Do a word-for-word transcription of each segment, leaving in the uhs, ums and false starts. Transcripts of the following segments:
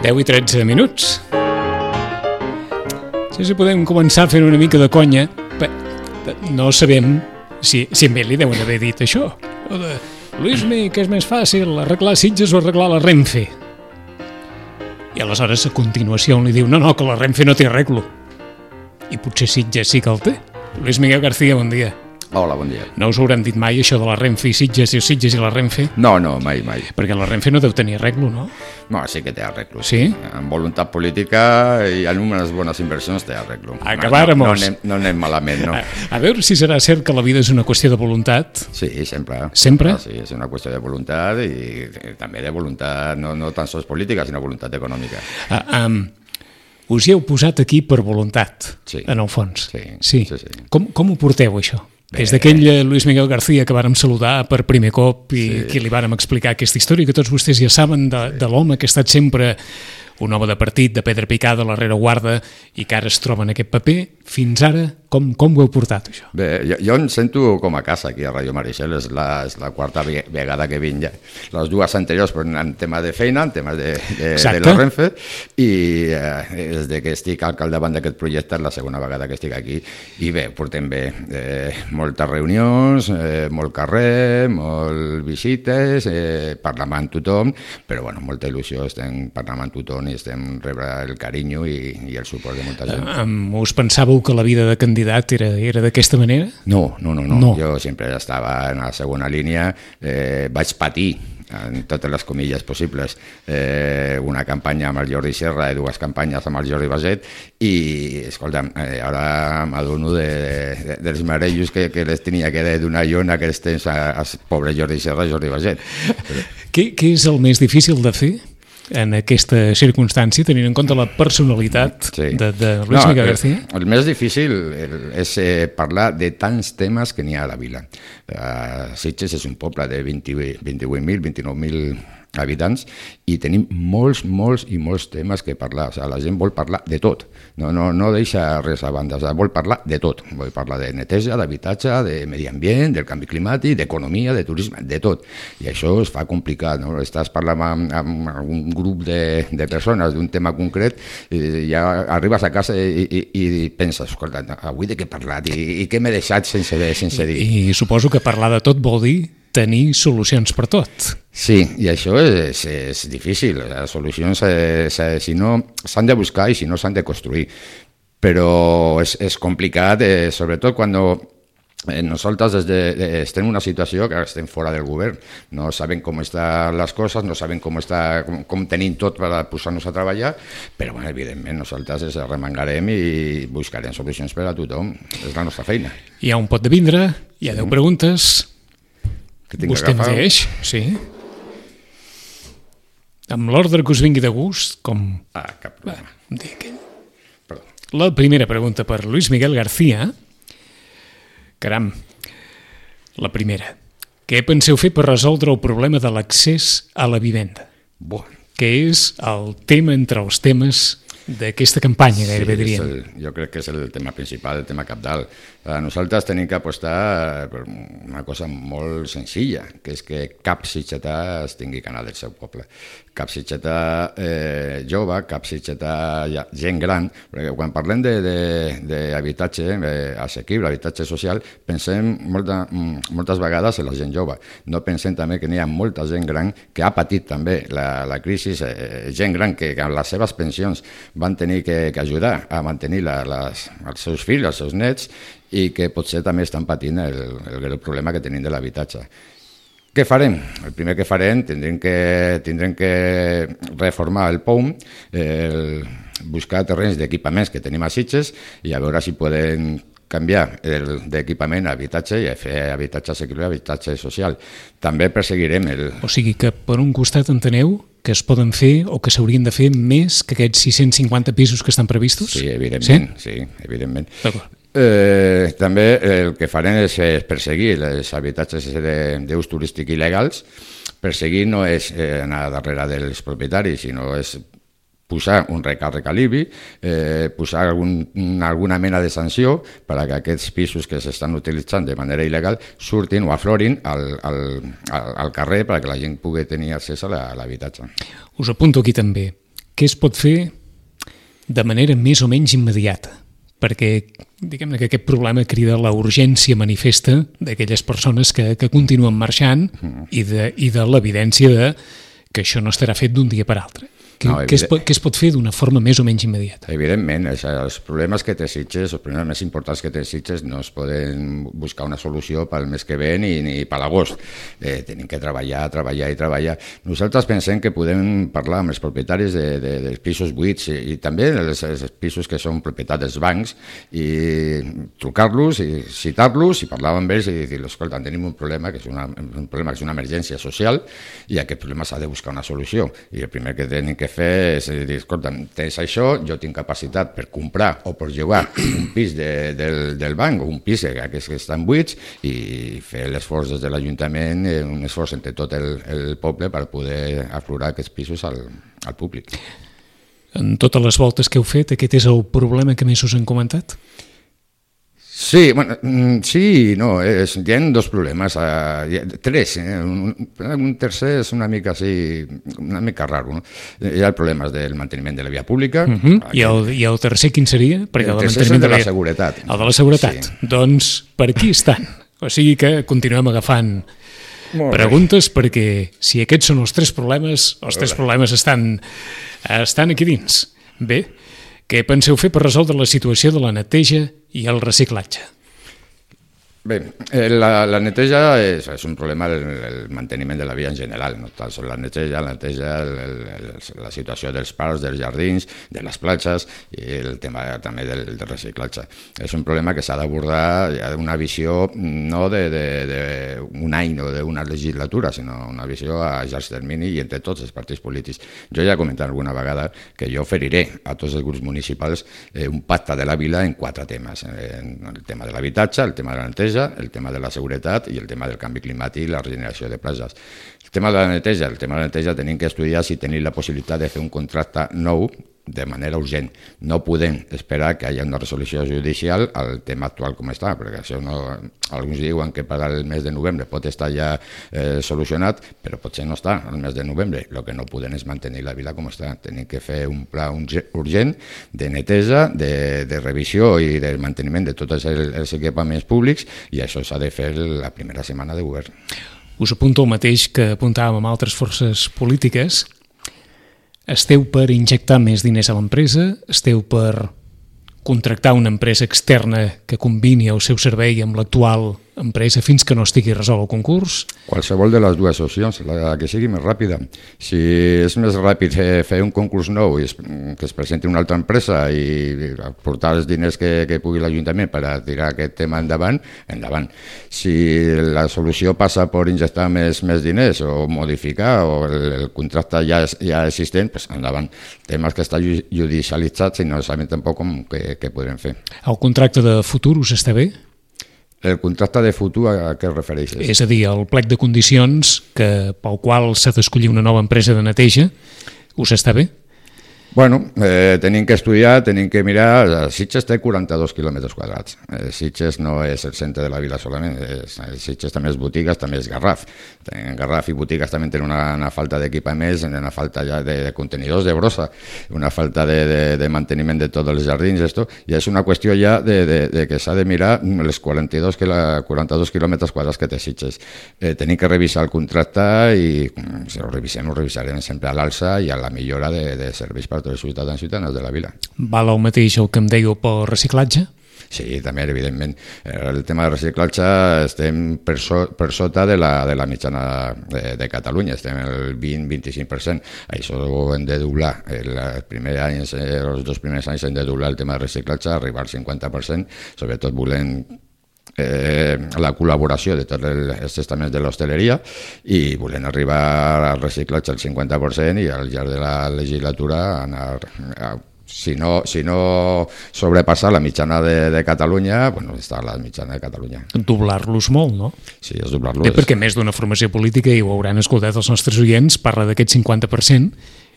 deu i tretze minuts. Sí, sí, podem començar fent una mica de conya. Bé, no sabem si, si a ell li deuen haver dit això. O de, Luismi, què és més fàcil, arreglar Sitges o arreglar la Renfe? I aleshores, a continuació, li diu, no, no, que la Renfe no té arreglo. I potser Sitges sí que el té. Luis Miguel García, bon dia. Hola, bon dia. No us hauran dit mai això de la Renfe i Sitges i Sitges i la Renfe? No, no, mai, mai. Perquè la Renfe no deu tenir arreglo, no? No, sí que té arreglo. Sí? Amb voluntat política i en unes bones inversions té arreglo. Acabáramos. No, no, anem, no anem malament, no. A, a veure si serà cert que la vida és una qüestió de voluntat. Sí, sempre. Sempre? Ah, sí, és una qüestió de voluntat i també de voluntat, no, no tan sols política, sinó voluntat econòmica. Ah, um, us hi heu posat aquí per voluntat, sí. En el fons. Sí, sí. sí, sí. Com, com ho porteu, això? Bé. Des d'aquell Luis Miguel García que vàrem saludar per primer cop i sí. que li vàrem explicar aquesta història, que tots vostès ja saben de, sí. de l'home que ha estat sempre un home de partit, de pedra picada, a la rereguarda, i que ara es troba en aquest paper, fins ara, com, com ho heu portat, això? Bé, jo, jo em sento com a casa aquí a Ràdio Maricel, és la, és la quarta vegada que vinc ja. Les dues anteriors però en tema de feina, en temes de, de, de la Renfe, i eh, des de que estic al capdavant d'aquest projecte és la segona vegada que estic aquí, i bé, portem bé, eh, moltes reunions, eh, molt carrer, molt visites, eh, parlant amb tothom, però bueno, molta il·lusió, estem parlant amb tothom i estem rebre el carinyo i, i el suport de molta gent. Um, us pensàveu que la vida de candidat era, era d'aquesta manera? No, no, no, no, no. Jo sempre estava en la segona línia, eh, vaig patir en totes les comilles possibles, eh, una campanya amb el Jordi Serra i dues campanyes amb el Jordi Baset i, escolta'm, eh, ara m'adono de, de, dels marellos que, que les tenia que donar jo en aquests temps al pobre Jordi Serra i Jordi Baset. Però... Què, què és el més difícil de fer en aquesta circumstància, tenint en compte la personalitat sí. de, de Luis no, Miguel García? El, el més difícil és eh, parlar de tants temes que n'hi ha a la vila. Uh, Sitges és un poble de vint-i-vuit mil, vint-i-nou mil habitants i tenim molts, molts i molts temes que parlar. O sigui, la gent vol parlar de tot, no, no, no deixa res a banda, o sigui, vol parlar de tot. Vol parlar de neteja, d'habitatge, de medi ambient, del canvi climàtic, d'economia, de turisme, de tot. I això es fa complicat, no? Estàs parlant amb, amb un grup de, de persones d'un tema concret i ja arribes a casa i, i, i penses, escolta, avui de què he parlat i, i què m'he deixat sense, sense dir. I, I suposo que parlar de tot vol dir tenir solucions per tot. Sí, i això és, és difícil. Les solucions, eh, si no, s'han de buscar i si no, s'han de construir. Però és, és complicat, eh, sobretot quan eh, nosaltres des de, de, estem en una situació que estem fora del govern. No sabem com estan les coses, no sabem com, està, com, com tenim tot per posar-nos a treballar, però bueno, evidentment nosaltres ens remengarem i buscarem solucions per a tothom. És la nostra feina. Hi ha un pot de vindre, hi ha deu preguntes... Vostè em deix, sí. Amb l'ordre que us vingui de gust, com... Ah, cap problema. Va, Perdó. La primera pregunta per Luis Miguel García. Caram, la primera. Què penseu fer per resoldre el problema de l'accés a la vivenda? Bo. Que és el tema entre els temes d'aquesta campanya, gairebé sí, diríem. El, jo crec que és el tema principal, el tema cabdal. Nosaltres tenim que apostar per una cosa molt senzilla, que és que cap sitgetà es tingui que anar del seu poble. Cap sitgetà eh, jove, cap sitgetà gent gran, perquè quan parlem d'habitatge eh, assequible, habitatge social, pensem molta, moltes vegades en la gent jove. No pensem també que n'hi ha molta gent gran que ha patit també la, la crisi, eh, gent gran que, que amb les seves pensions van tenir que, que ajudar a mantenir la, les, els seus fills, els seus nets, i que potser també estan patint el, el, el problema que tenim de l'habitatge. Què farem? El primer que farem, tindrem que, tindrem que reformar el P O U M, el, buscar terrenys d'equipaments que tenim a Sitges i a veure si podem canviar d'equipament a habitatge i a fer habitatge assequible, habitatge social. També perseguirem el... O sigui que per un costat enteneu que es poden fer o que s'haurien de fer més que aquests sis-cents cinquanta pisos que estan previstos? Sí, evidentment. Sí, sí evidentment. D'acord. Eh, també el que farem és perseguir els habitatges d'ús turístic il·legals. Perseguir no és anar darrere dels propietaris, sinó és posar un recàrrec a l'I B I, eh, posar algun, alguna mena de sanció per a que aquests pisos que s'estan utilitzant de manera il·legal surtin o aflorin al, al, al carrer perquè la gent pugui tenir accés a l'habitatge. Us apunto aquí també. què es pot fer de manera més o menys immediata? Perquè, diguem-ne que aquest problema crida la urgència manifesta d'aquelles persones que, que continuen marxant i de, i de l'evidència de que això no estarà fet d'un dia per altre. Què, no, què, es pot, què es pot fer d'una forma més o menys immediata? Evidentment, els problemes que té Sitges, els problemes més importants que té Sitges no es poden buscar una solució pel mes que ve ni, ni per l'agost. Eh, tenim que treballar, treballar i treballar. Nosaltres pensem que podem parlar amb els propietaris de, de, dels pisos buits i, i també els, els pisos que són propietat dels bancs i trucar-los i citar-los i parlar amb ells i dir, escolta, tenim un problema que és una, un problema que és una emergència social i a aquest problema s'ha de buscar una solució. I el primer que tenim que fer és dir, escolta, tens això, jo tinc capacitat per comprar o per llogar un pis de, del, del banc o un pis que, que estan buits i fer l'esforç des de l'Ajuntament, un esforç entre tot el, el poble per poder aflorar aquests pisos al, al públic. En totes les voltes que heu fet, aquest és el problema que més us han comentat? Sí, bueno, sí, no, és, hi ha dos problemes, uh, tres, eh? un, un tercer és una mica així, una mica raro, no? Hi ha problemes del manteniment de la via pública. Uh -huh. I, el, I el tercer quin seria? Perquè el tercer és el de la seguretat. El de la seguretat. Sí. Doncs per aquí estan. O sigui que continuem agafant preguntes perquè si aquests són els tres problemes, els tres problemes estan, estan aquí dins. Bé, què penseu fer per resoldre la situació de la neteja i el reciclatge? Bé, la, la neteja és, és un problema el, el manteniment de la via en general, no tant sols la neteja, la neteja, el, el, la situació dels parcs, dels jardins, de les platges i el tema també del, del reciclatge. És un problema que s'ha d'abordar ja d'una visió no d'un any o d'una legislatura, sinó una visió a llarg termini i entre tots els partits polítics. Jo ja he comentat alguna vegada que jo oferiré a tots els grups municipals eh, un pacte de la vila en quatre temes. Eh, el tema de l'habitatge, el tema de la neteja, el tema de la seguretat i el tema del canvi climàtic i la regeneració de platges. El tema de la neteja, el tema de la neteja tenim que estudiar si tenim la possibilitat de fer un contracte nou de manera urgent. No podem esperar que hi hagi una resolució judicial al tema actual com està, perquè això no... Alguns diuen que per al mes de novembre pot estar ja eh, solucionat, però potser no està al mes de novembre. El que no podem és mantenir la vila com està. Tenim que fer un pla urgent de neteja, de, de revisió i de manteniment de tots els, els equipaments públics i això s'ha de fer la primera setmana de govern. Us apunto el mateix que apuntàvem amb altres forces polítiques. Esteu per injectar més diners a l'empresa? Esteu per contractar una empresa externa que combini el seu servei amb l'actual empresa fins que no estigui resolt el concurs? Qualsevol de les dues opcions, la que sigui més ràpida. Si és més ràpid fer, fer un concurs nou i es, que es presenti una altra empresa i aportar els diners que, que pugui l'Ajuntament per a tirar aquest tema endavant, endavant. Si la solució passa per injectar més, més diners o modificar o el, el contracte ja, ja existent, pues endavant. Temes que està judicialitzat i no sabem tampoc com què, què podrem fer. El contracte de futur us està bé? El contracte de futur a què es refereixes? És a dir, el plec de condicions que, pel qual s'ha d'escollir una nova empresa de neteja, us està bé? Bueno, eh, tenim que estudiar, tenim que mirar... Sitges té quaranta-dos quilòmetres quadrats. Eh, Sitges no és el centre de la vila solament. És, Sitges també és botigues, també és Garraf. En Garraf i botigues també tenen una, una falta d'equipaments, una falta ja de, de contenidors de brossa, una falta de, de, de manteniment de tots els jardins, esto, i és una qüestió ja de, de, de que s'ha de mirar els quaranta-dos, que la, quaranta-dos quilòmetres quadrats que té Sitges. Eh, tenim que revisar el contracte i si ho revisem, ho revisarem sempre a l'alça i a la millora de, de serveis per els ciutadans i ciutadanes de la vila. Val el mateix el que em dèieu pel reciclatge? Sí, també, evidentment. El tema del reciclatge estem per, so, per sota de la, de la mitjana de, de Catalunya, estem el vint a vint-i-cinc per cent. Això ho hem de doblar. El primer any, els dos primers anys hem de doblar el tema del reciclatge, arribar al cinquanta per cent, sobretot volem Eh, la col·laboració de tots els estaments de l'hostaleria i volem arribar al reciclatge al cinquanta per cent i al llarg de la legislatura anar a, si no, si no sobrepassar la mitjana de, de Catalunya, bueno, està la mitjana de Catalunya. Doblar-los molt, no? Sí, és doblar-los. Bé, perquè més d'una formació política, i ho hauran escoltat els nostres oients, parla d'aquest cinquanta per cent,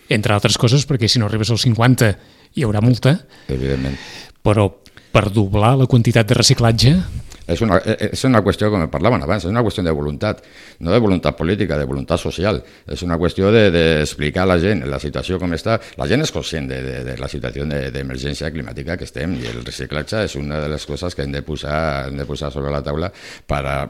entre altres coses, perquè si no arribes al cinquanta hi haurà multa. Evidentment. Però per doblar la quantitat de reciclatge... És una, és una qüestió, com parlaven abans, és una qüestió de voluntat, no de voluntat política, de voluntat social. És una qüestió d'explicar de, a la gent la situació com està. La gent és conscient de, de, de la situació d'emergència de, climàtica que estem, i el reciclatge és una de les coses que hem de posar, hem de posar sobre la taula per a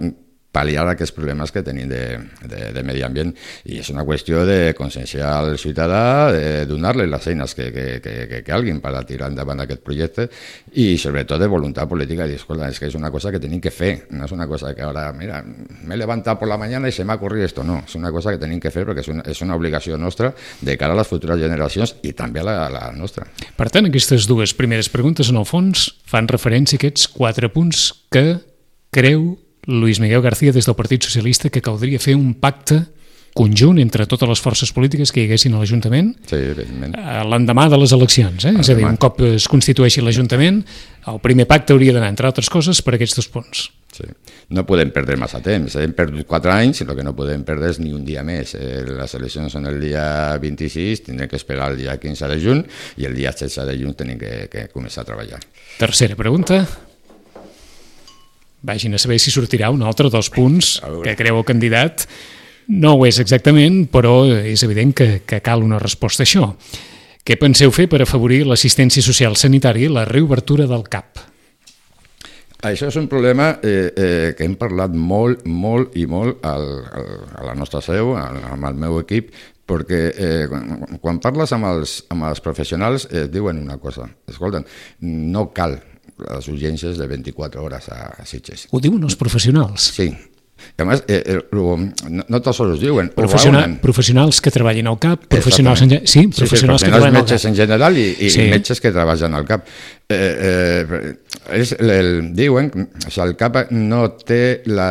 pal·liar aquests problemes que tenim de, de, de medi ambient, i és una qüestió de conscienciar al ciutadà, de donar-li les eines que, que, que, que calguin per a tirar endavant aquest projecte, i sobretot de voluntat política, i dir, escolta, és que és una cosa que tenim que fer, no és una cosa que ara, mira, m'he levantat por la mañana i se m'ha ocurrido esto, no, és una cosa que tenim que fer perquè és una, és una obligació nostra de cara a les futures generacions i també a la, a la nostra. Per tant, aquestes dues primeres preguntes, en el fons, fan referència a aquests quatre punts que creu Luis Miguel García des del Partit Socialista que caldria fer un pacte conjunt entre totes les forces polítiques que hi haguessin a l'Ajuntament sí, l'endemà de les eleccions. Eh? És a dir, un cop es constitueixi l'Ajuntament, el primer pacte hauria d'anar, entre altres coses, per aquests dos punts. Sí. No podem perdre massa temps, hem perdut quatre anys, el que no podem perdre és ni un dia més. Eh, les eleccions són el dia vint-i-sis, tindrem que esperar el dia quinze de juny, i el dia setze de juny tenim que, que començar a treballar. Tercera pregunta. Vagin a saber si sortirà un altre dels punts que creu el candidat. No ho és exactament, però és evident que, que cal una resposta a això. Què penseu fer per afavorir l'assistència social sanitària i la reobertura del C A P? Això és un problema eh, eh, que hem parlat molt, molt i molt al, al, a la nostra seu, amb el meu equip, perquè eh, quan, quan parles amb els, amb els professionals eh, diuen una cosa, escolten, no cal les urgències de vint-i-quatre hores a Sitges. Ho diuen els professionals? Sí. A més, eh, eh, no, no tots ho diuen. Professional, professionals que treballin al C A P, professionals, en, sí, professionals, sí, professionals que treballen al C A P. Metges en general i, i sí. metges que treballen al C A P. Eh, eh, és, el, diuen que el C A P no té la,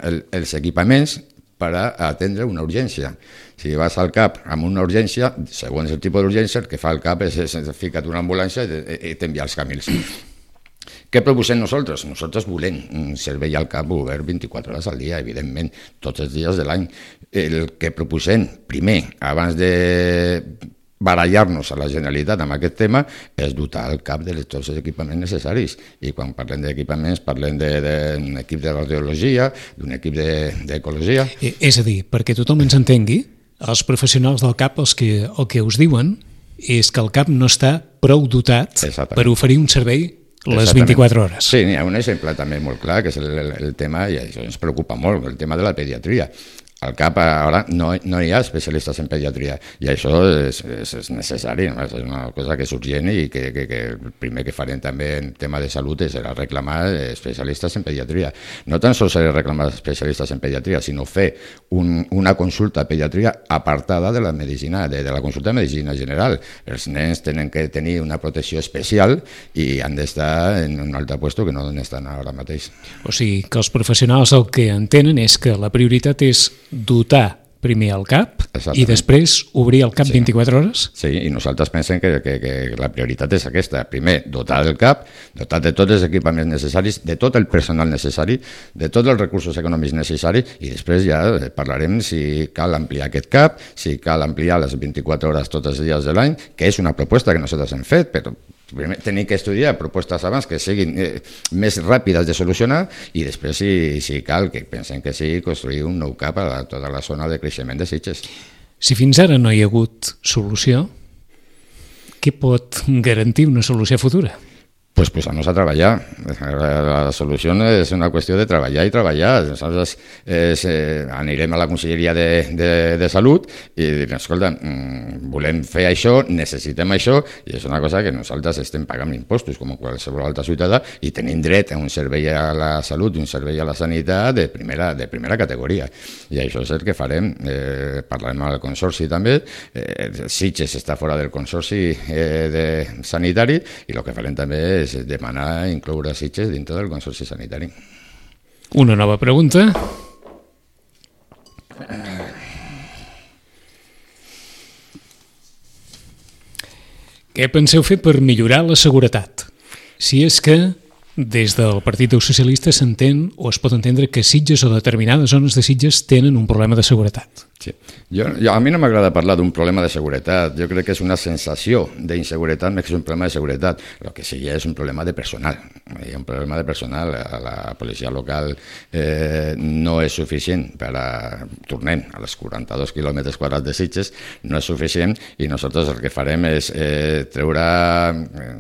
el, els equipaments per a atendre una urgència. Si vas al C A P amb una urgència, segons el tipus d'urgència, el que fa el C A P és, és, és ficar una ambulància i t'enviar els camins. Què proposem nosaltres? Nosaltres volem un servei al C A P obert vint-i-quatre hores al dia, evidentment, tots els dies de l'any. El que proposem, primer, abans de barallar-nos a la Generalitat amb aquest tema, és dotar el C A P de tots els equipaments necessaris. I quan parlem d'equipaments, parlem d'un equip de radiologia, d'un equip d'ecologia... De, és a dir, perquè tothom ens entengui, els professionals del C A P els que, el que us diuen és que el C A P no està prou dotat per oferir un servei les vint-i-quatre hores. Sí, hi ha un exemple també molt clar, que és el, el, el tema, i això ens preocupa molt, el tema de la pediatria. Al C A P ara no, no hi ha especialistes en pediatria, i això és, és, és necessari, és una cosa que és urgent, i que, que, que el primer que farem també en tema de salut és reclamar especialistes en pediatria. No tan sols reclamar especialistes en pediatria, sinó fer un, una consulta de pediatria apartada de la medicina, de, de la consulta de medicina general. Els nens tenen que tenir una protecció especial i han d'estar en un altre lloc que no estan ara mateix. O sigui, que els professionals el que entenen és que la prioritat és dotar primer el C A P i després obrir el C A P sí. vint-i-quatre hores? Sí, i nosaltres pensem que, que, que la prioritat és aquesta. Primer, dotar el C A P, dotar de tots els equipaments necessaris, de tot el personal necessari, de tots els recursos econòmics necessaris, i després ja parlarem si cal ampliar aquest C A P, si cal ampliar les vint-i-quatre hores tots els dies de l'any, que és una proposta que nosaltres hem fet, però primer tenim que estudiar propostes abans que siguin eh, més ràpides de solucionar, i després, si, si cal, que pensem que sí, construir un nou C A P a tota la zona de creixement de Sitges. Si fins ara no hi ha hagut solució, què pot garantir una solució futura? Pues posar-nos a treballar. La solució és una qüestió de treballar i treballar. Nosaltres eh, anirem a la Conselleria de, de, de Salut i direm, escolta, volem fer això, necessitem això, i és una cosa que nosaltres estem pagant impostos com qualsevol altre ciutadà, i tenim dret a un servei a la salut i un servei a la sanitat de primera, de primera categoria. I això és el que farem. Eh, parlarem amb el Consorci també. Eh, Sitges està fora del Consorci eh, de sanitari, i el que farem també és és demanar incloure Sitges dintre del Consorci Sanitari. Una nova pregunta. Què penseu fer per millorar la seguretat? Si és que des del Partit dels Socialistes s'entén o es pot entendre que Sitges o determinades zones de Sitges tenen un problema de seguretat. Sí. Jo, jo, a mi no m'agrada parlar d'un problema de seguretat. Jo crec que és una sensació d'inseguretat més que és un problema de seguretat. El que sí és un problema de personal. Hi ha un problema de personal. La policia local eh, no és suficient per a... Tornem a les quaranta-dos quilòmetres quadrats de Sitges, no és suficient i nosaltres el que farem és eh, treure,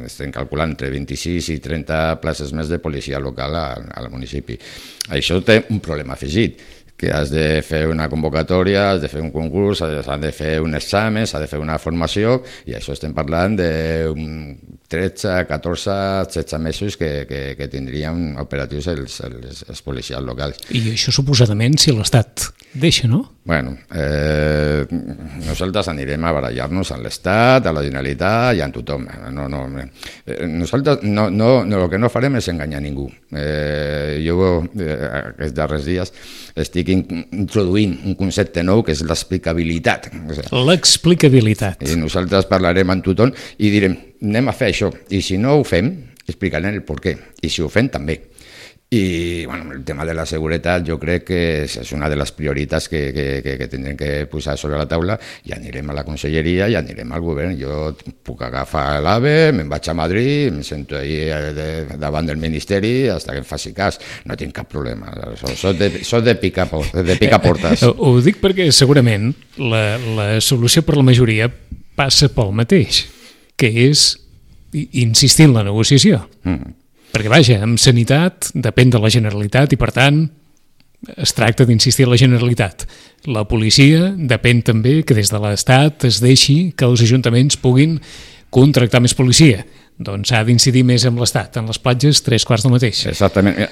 estem calculant, entre vint-i-sis i trenta places més de policia local al municipi. Això té un problema afegit, que has de fer una convocatòria, has de fer un concurs, has de fer un examen, has de fer una formació, i això estem parlant de tretze, catorze, setze mesos que, que, que tindrien operatius els, els, els policials locals. I això suposadament si l'Estat deixa, no? Bueno, eh, nosaltres anirem a barallar-nos amb l'Estat, a la Generalitat i amb tothom. No, no, eh, nosaltres no, no, no, el que no farem és enganyar ningú. Eh, jo eh, aquests darrers dies estic introduint un concepte nou que és l'explicabilitat. L'explicabilitat. I nosaltres parlarem amb tothom i direm, anem a fer això, i si no ho fem, explicarem el per què, i si ho fem també. I bueno, el tema de la seguretat jo crec que és una de les prioritats que, que, que, que tindrem que posar sobre la taula, i anirem a la conselleria i anirem al govern. Jo puc agafar l'AVE, me'n vaig a Madrid, em sento ahí de, davant del Ministeri fins que em faci cas, no tinc cap problema. Soc de, soc de, picar, de picar portes. Ho, ho dic perquè segurament la, la solució per la majoria passa pel mateix, que és insistir en la negociació. Mm. Perquè, vaja, amb sanitat depèn de la Generalitat i, per tant, es tracta d'insistir en la Generalitat. La policia depèn també que des de l'Estat es deixi que els ajuntaments puguin contractar més policia. Doncs s'ha d'incidir més en l'Estat. En les platges, tres quarts del mateix. Exactament.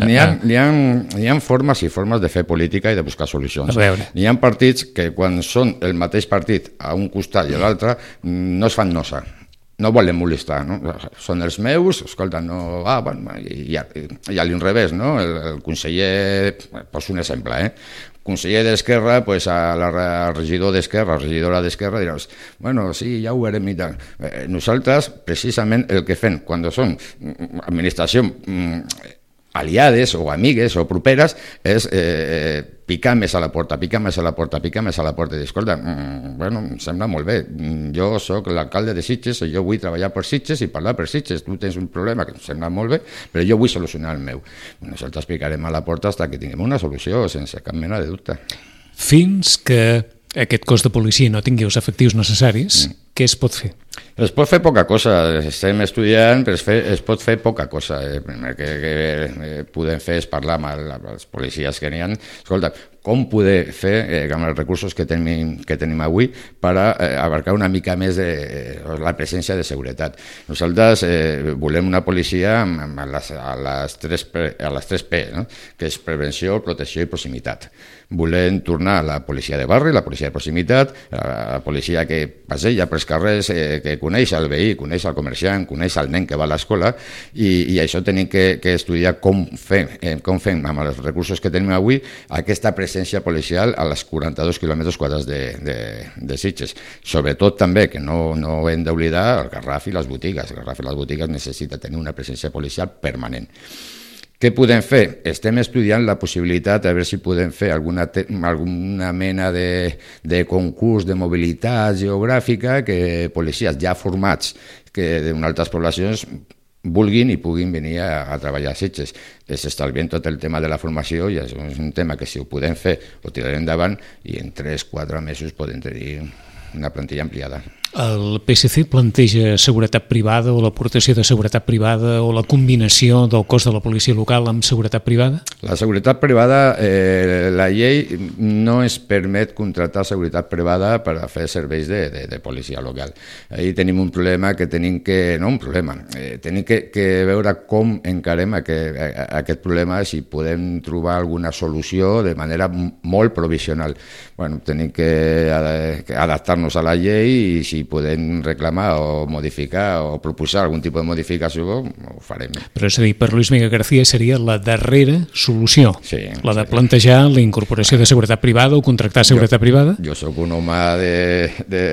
N'hi ha, n'hi ha, n'hi ha formes i formes de fer política i de buscar solucions. N'hi ha partits que, quan són el mateix partit a un costat i a l'altre, no es fan nosa. No volen molestar, no? Són els meus, escolta, no... Ah, bueno, i a, i a l'inrevés, no? El, el conseller, poso un exemple, eh? Conseller d'Esquerra, pues a la, al regidor d'Esquerra, a la regidora d'Esquerra, diràs, bueno, sí, ja ho veurem i tal. Eh, nosaltres, precisament, el que fem, quan són administració aliades o amigues o properes, és eh, picar més a la porta, picar més a la porta, picar més a la porta. I dir, escolta, mm, bueno, em sembla molt bé, jo sóc l'alcalde de Sitges, jo vull treballar per Sitges i parlar per Sitges, tu tens un problema que em sembla molt bé, però jo vull solucionar el meu. Nosaltres picarem a la porta fins que tinguem una solució, sense cap mena de dubte. Fins que aquest cos de policia no tingui els efectius necessaris, mm. què es pot fer? Es pot fer poca cosa, estem estudiant, però es, fe, es pot fer poca cosa. El primer que, que podem fer és parlar amb els policies que n'hi ha. Escolta, com poder fer eh, amb els recursos que tenim, que tenim avui per a, eh, abarcar una mica més de, eh, la presència de seguretat. Nosaltres eh, volem una policia amb, amb les, a, les tres P, a les tres P, no? Que és prevenció, protecció i proximitat. Volem tornar a la policia de barri, la policia de proximitat, la policia que passeja pels carrers, eh, que coneix el veí, coneix el comerciant, coneix el nen que va a l'escola, i, i això tenim que, que estudiar com fem, eh, com fem amb els recursos que tenim avui aquesta presència policial a les quaranta-dos quilòmetres quadrats de, de, de Sitges. Sobretot també, que no, no hem d'oblidar el Garraf i les botigues. El Garraf i les botigues necessita tenir una presència policial permanent. Què podem fer? Estem estudiant la possibilitat a veure si podem fer alguna, te, alguna mena de, de concurs de mobilitat geogràfica que policies ja formats que d'altres poblacions vulguin i puguin venir a, a treballar a Sitges. S'estalvien tot el tema de la formació i és un tema que si ho podem fer ho tirarem endavant i en tres o quatre mesos podem tenir una plantilla ampliada. El P S C planteja seguretat privada o l'aportació de seguretat privada o la combinació del cos de la policia local amb seguretat privada? La seguretat privada, eh, la llei no ens permet contractar seguretat privada per a fer serveis de, de, de policia local. Ahí tenim un problema que tenim que... No un problema, eh, tenim que, que veure com encarem aquest, aquest problema, si podem trobar alguna solució de manera molt provisional. Bueno, tenim que, que adaptar-nos a la llei i si si podem reclamar o modificar o proposar algun tipus de modificació, ho farem. Però és a dir, per Luis Miguel García seria la darrera solució, sí, la de sí. plantejar la incorporació de seguretat privada o contractar seguretat jo, privada? Jo sóc un home de, de,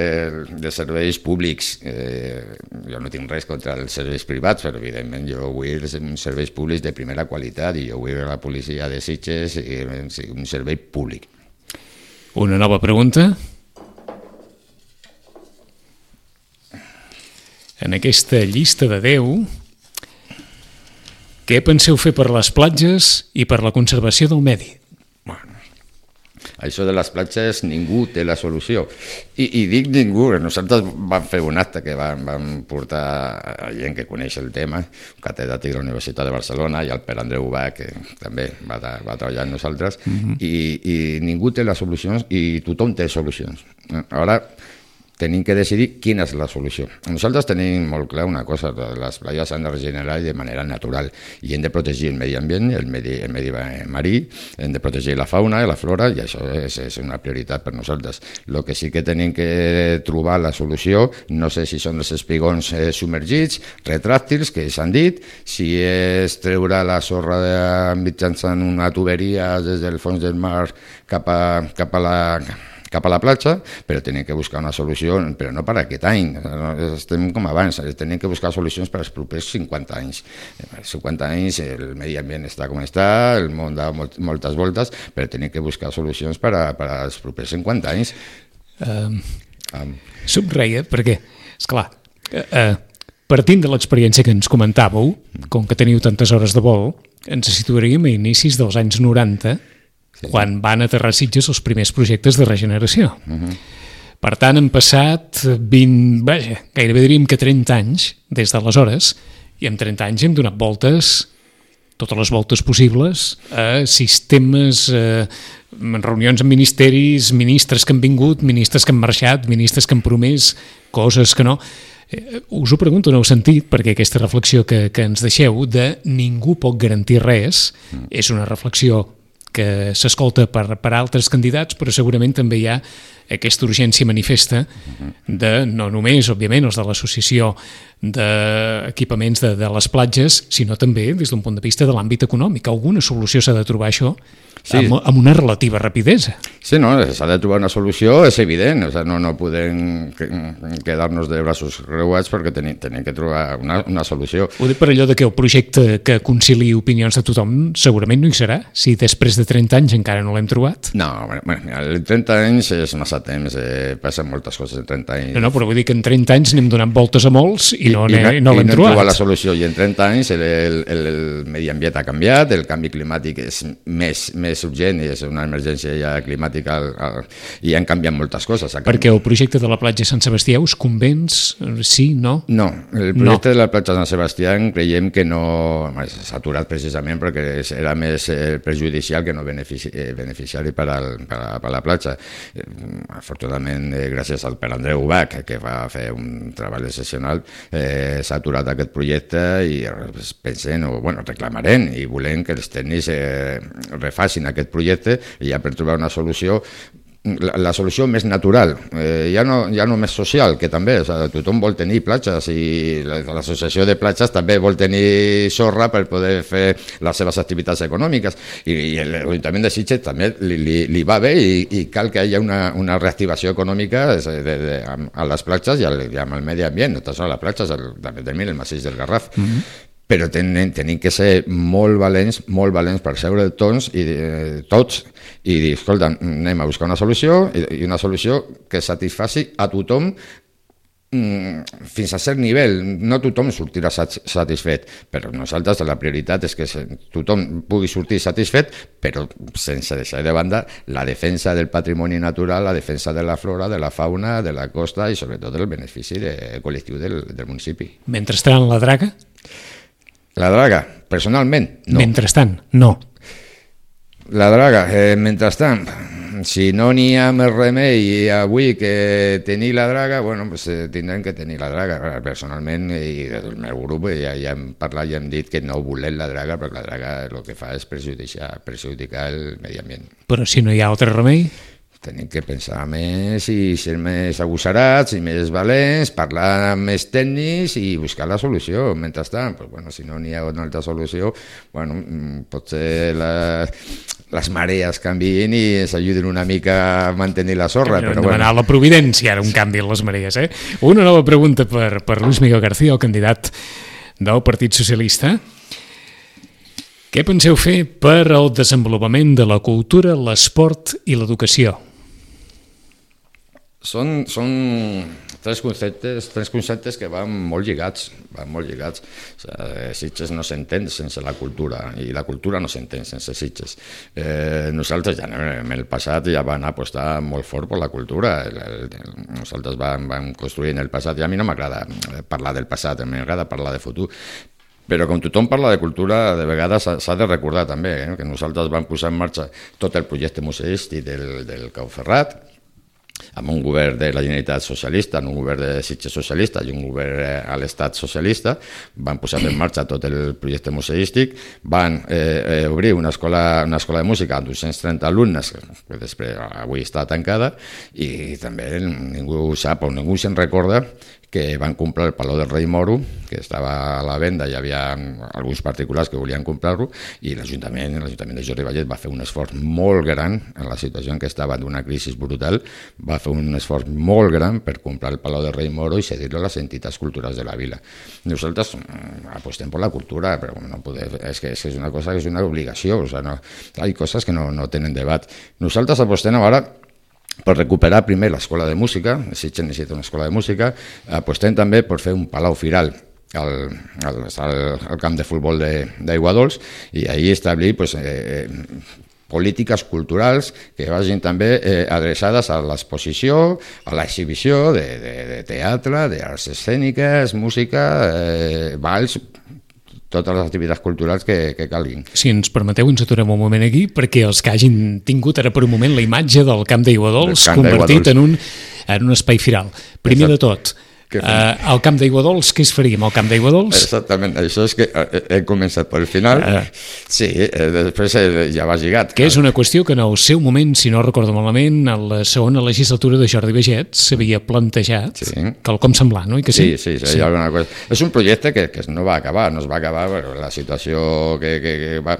de serveis públics. Eh, jo no tinc res contra els serveis privats, però evidentment jo vull serveis públics de primera qualitat i jo vull la policia de Sitges i un servei públic. Una nova pregunta. En aquesta llista de deu, què penseu fer per les platges i per la conservació del medi? Bueno, això de les platges ningú té la solució. I, i dic ningú, nosaltres vam fer un acte que vam, vam portar a gent que coneix el tema, un catedràtic de la Universitat de Barcelona i el Pere Andreu Ubach, que també va, va treballar amb nosaltres, uh-huh. i, i ningú té les solucions i tothom té solucions. Ara tenim que decidir quina és la solució. Nosaltres tenim molt clar una cosa, les platges s'han de regenerar de manera natural i hem de protegir el medi ambient, el medi, el medi marí, hem de protegir la fauna i la flora i això és, és una prioritat per nosaltres. El que sí que tenim que trobar la solució, no sé si són els espigons eh, submergits, retràctils, que s'han dit, si és treure la sorra de, mitjançant una tuberia des del fons del mar cap a, cap a la... cap a la platja, però tenim que buscar una solució, però no per aquest any, estem com abans, tenim que buscar solucions per als propers cinquanta anys. Per cinquanta anys el medi ambient està com està, el món da moltes voltes, però tenim que buscar solucions per, a, per als propers cinquanta anys. Um, um. Subreia, perquè, esclar, uh, uh, partint de l'experiència que ens comentàveu, com que teniu tantes hores de vol, ens situaríem a inicis dels anys noranta, sí. Quan van aterrar a Sitges els primers projectes de regeneració. Uh-huh. Per tant, han passat vint, vaja, gairebé diríem que trenta anys des d'aleshores, i en trenta anys hem donat voltes, totes les voltes possibles, a sistemes, a reunions amb ministeris, ministres que han vingut, ministres que han marxat, ministres que han promès, coses que no. Us ho pregunto en el sentit, perquè aquesta reflexió que, que ens deixeu de ningú pot garantir res, mm. és una reflexió que s'escolta per, per altres candidats, però segurament també hi ha aquesta urgència manifesta de, no només, òbviament, els de l'associació d'equipaments de, de les platges, sinó també des d'un punt de vista de l'àmbit econòmic. Alguna solució s'ha de trobar això sí. amb, amb una relativa rapidesa. Sí, no, s'ha de trobar una solució, és evident, o sigui, no, no podem quedar-nos de braços creuats perquè tenim, tenim que trobar una, una solució. Ho dic per allò de que el projecte que concili opinions de tothom segurament no hi serà, si després de trenta anys encara no l'hem trobat. No, bueno, bueno, trenta anys és massa temps, eh, passen moltes coses en trenta anys. No, no, però vull dir que en trenta anys n'hem donat voltes a molts i no, I, i, i no l'hem no trobat. trobat la solució, i en trenta anys el, el, el, el medi ambient ha canviat, el canvi climàtic és més, més urgent i és una emergència ja climàtica al, al, i han canviat moltes coses. Perquè el projecte de la platja Sant Sebastià us convenç? Sí, no? No, el projecte no. de la platja Sant Sebastià creiem que no s'ha aturat precisament perquè era més eh, perjudicial que no benefici, eh, beneficiari per, al, per, a, per a la platja. Eh, afortunadament, eh, gràcies al Pere Andreu Ubach, que va fer un treball excepcional, eh, s'ha aturat aquest projecte i pensem, o bueno, reclamarem i volem que els tècnics eh, refacin aquest projecte i ja per trobar una solució La, la solució més natural, eh, ja, no, ja no més social, que també, o sigui, tothom vol tenir platges i l'associació de platges també vol tenir sorra per poder fer les seves activitats econòmiques i, i l'Ajuntament de Sitges també li, li, li va bé i, i cal que hi hagi una, una reactivació econòmica de, de, de, a les platges i, al, i amb el medi ambient, no tan sols a les platges, també també el massís del Garraf. Mm-hmm. Però tenim, tenim que ser molt valents, molt valents per seure tots i eh, tots i dir, escolta, anem a buscar una solució i, i una solució que satisfaci a tothom mm, fins a cert nivell. No tothom sortirà satisfet, però nosaltres la prioritat és que tothom pugui sortir satisfet, però sense deixar de banda la defensa del patrimoni natural, la defensa de la flora, de la fauna, de la costa i sobretot del benefici de, col·lectiu del, del municipi. Mentrestant, la draga? La draga, personalment, no. Mentrestant, no. La draga, eh, mentrestant, si no n'hi ha més remei avui que tenir la draga, bueno, pues, eh, tindrem que tenir la draga. Personalment, i del meu grup, ja, ja hem parlat i hem dit que no volem la draga, perquè la draga el que fa és perjudicar, perjudicar el medi ambient. Però si no hi ha altre remei? tenim que pensar més i ser més agosarats i més valents, parlar amb més tècnics i buscar la solució. Mentrestant, pues, bueno, si no n'hi ha una altra solució, bueno, potser la, les marees canvien i ens ajuden una mica a mantenir la sorra. Hem però de demanar bueno. la providència, ara un canvi en les marees. Eh? Una nova pregunta per, per Luis Miguel García, el candidat del Partit Socialista. Què penseu fer per al desenvolupament de la cultura, l'esport i l'educació? Són, són tres conceptes, tres conceptes que van molt lligats, van molt lligats. O sigui, Sitges no s'entén sense la cultura i la cultura no s'entén sense Sitges. Eh, nosaltres ja en el passat ja vam apostar molt fort per la cultura. El, el, nosaltres vam, vam construir en el passat, i a mi no m'agrada parlar del passat, m'agrada parlar de futur. Però com tothom parla de cultura, de vegades s'ha de recordar també eh, que nosaltres vam posar en marxa tot el projecte museístic del, del Cau Ferrat, amb un govern de la Generalitat socialista, un govern de Sitges socialista i un govern a l'Estat socialista. Van posar en marxa tot el projecte museístic, van eh, eh, obrir una escola, una escola de música amb dos-cents trenta alumnes, que després avui està tancada, i també ningú sap o ningú se'n recorda que van comprar el Palau del Rei Moro, que estava a la venda, hi havia alguns particulars que volien comprar-lo, i l'Ajuntament, l'Ajuntament de Jordi Vallet va fer un esforç molt gran en la situació en què estava d'una crisi brutal, va fer un esforç molt gran per comprar el Palau del Rei Moro i cedir-lo a les entitats culturals de la vila. Nosaltres apostem per la cultura, però no poder, és que és una cosa que és una obligació, o sigui, no, hi ha coses que no, no tenen debat. Nosaltres apostem ara per recuperar primer l'escola de música, Sitges necessita una escola de música, apostem també per fer un palau firal al, al, al camp de futbol d'Aiguadols i ahir establir pues, eh, polítiques culturals que vagin també eh, adreçades a l'exposició, a l'exhibició de, de, de teatre, d'arts escèniques, música, eh, balls, totes les activitats culturals que, que calguin. Si ens permeteu, ens aturem un moment aquí, perquè els que hagin tingut ara per un moment la imatge del Camp d'Aiguadols convertit en un, en un espai firal. Primer de tot, Uh, al Camp d'Aiguadols, què es faríem al Camp d'Aiguadols? Exactament, això és que he començat pel final, uh, sí, eh, després ja va lligat. Que és una qüestió que en el seu moment, si no recordo malament, a la segona legislatura de Jordi Baget s'havia plantejat, sí. Quelcom semblant, no? I que sí? Sí, sí, sí, sí. Alguna cosa. És un projecte que, que no va acabar, no es va acabar, però la situació que, que, que va,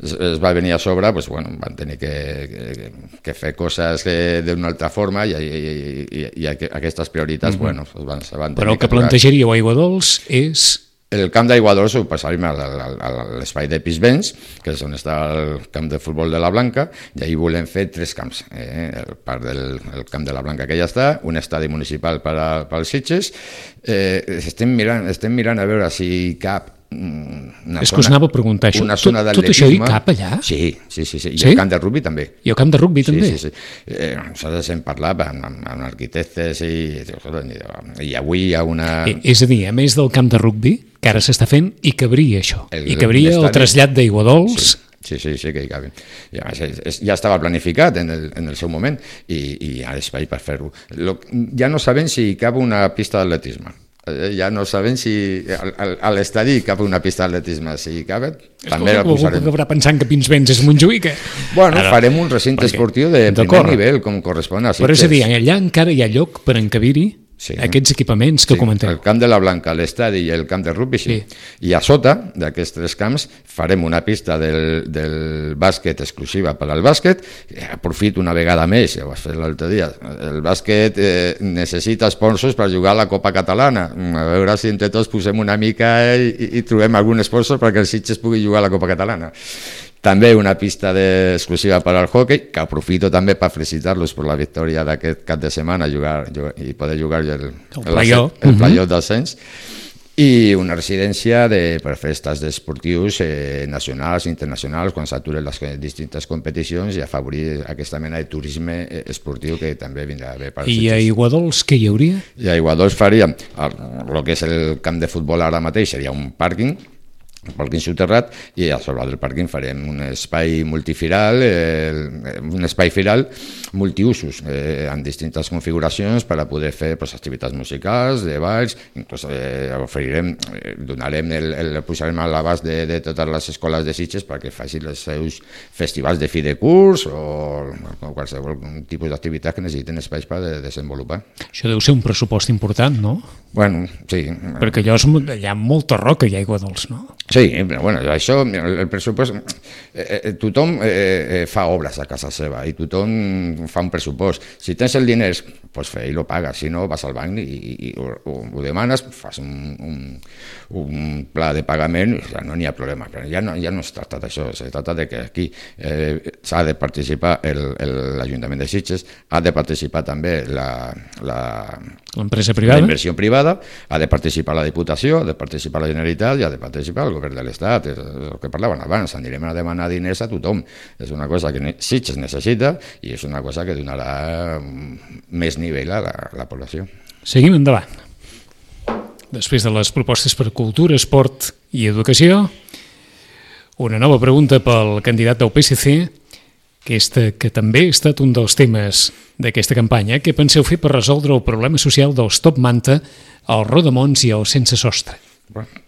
es, es va venir a sobre, pues, bueno, van tenir que, que, que fer coses d'una altra forma i, i, i, i aquestes prioritats, mm-hmm. bueno, Van, van però el que, que plantejaríeu a Aiguadols és... El camp d'Aiguadols ho passaríem a l'espai de Pisbens, que és on està el camp de futbol de la Blanca, i ahir volem fer tres camps. Eh? El part del el camp de la Blanca que ja està, un estadi municipal per als Sitges. Eh, estem, mirant, estem mirant a veure si cap una és que us anava a preguntar això. Tot, tot això hi cap allà? Sí, sí, sí, sí. I sí? el camp de rugby també. I el camp de rugby també? Sí, sí, sí. Eh, nosaltres hem parlat amb, amb, amb arquitectes i, i avui hi ha una... Eh, és a dir, a més del camp de rugby, que ara s'està fent, hi cabria això. El, I cabria el trasllat d'Aiguadols... Sí. Sí, sí, sí que hi caben. Ja, ja estava planificat en el, en el seu moment i, i hi ha espai per fer-ho. Ja no sabem si hi cap una pista d'atletisme. Ja no sabem si a l'estadi cap una pista d'atletisme, si cabe, també la posarem. Algú acabarà pensant que Pinsbens és Montjuïc. Bueno, ara, farem un recinte perquè, esportiu de primer nivell, com correspon a Sitges. Però és a dir, allà encara hi ha lloc per encabir-hi sí. aquests equipaments que sí, comenteu. El camp de la Blanca, l'estadi i el camp de rugby, sí. sí. I a sota d'aquests tres camps farem una pista del, del bàsquet exclusiva per al bàsquet. Aprofito una vegada més, ja ho vas fer l'altre dia, el bàsquet eh, necessita sponsors per jugar a la Copa Catalana. A veure si entre tots posem una mica i, i trobem algun sponsor perquè el Sitges pugui jugar a la Copa Catalana. També una pista de, exclusiva per al hockey, que aprofito també per felicitar-los per la victòria d'aquest cap de setmana jugar, jugar, i poder jugar el, el playoff el playoff uh-huh. d'ascens. I una residència de, per fer estats esportius eh, nacionals, internacionals, quan s'aturen les distintes competicions i afavorir aquesta mena de turisme esportiu que també vindrà bé per als Sitges. I a Aiguadols què hi hauria? I a Aiguadols faríem el, el que és el camp de futbol ara mateix, seria un pàrquing pàrquing soterrat, i a sobre del pàrquing farem un espai multifiral, eh, un espai firal multiusos, eh, amb distintes configuracions per a poder fer pues, activitats musicals, de balls, inclús eh, oferirem, eh, donarem el, el posarem a l'abast de, de totes les escoles de Sitges perquè facin els seus festivals de fi de curs o, o qualsevol tipus d'activitat que necessiten espais per de desenvolupar. Això deu ser un pressupost important, no? Bueno, sí. Perquè allò és, hi ha molta roca i aigua dolç, no? Sí, però bueno, això, el, el pressupost, eh, eh, tothom eh, eh, fa obres a casa seva i tothom fa un pressupost. Si tens el diners, pues fe i lo pagues, si no vas al banc i, i, i ho, ho demanes, fas un, un, un pla de pagament i ja no n'hi ha problema. Però ja no, ja no es tracta d'això, es tracta de que aquí eh, s'ha de participar l'Ajuntament de Sitges, ha de participar també la, la, l'empresa privada, la inversió privada, ha de participar la Diputació, ha de participar la Generalitat i ha de participar el govern de l'Estat. És el que parlaven abans, anirem a demanar diners a tothom. És una cosa que Sitges necessita i és una cosa que donarà més nivell a la, a la població. Seguim endavant. Després de les propostes per cultura, esport i educació, una nova pregunta pel candidat del P S C, aquesta que també ha estat un dels temes d'aquesta campanya. Què penseu fer per resoldre el problema social dels top manta, els rodamons i els sense sostre? Bueno,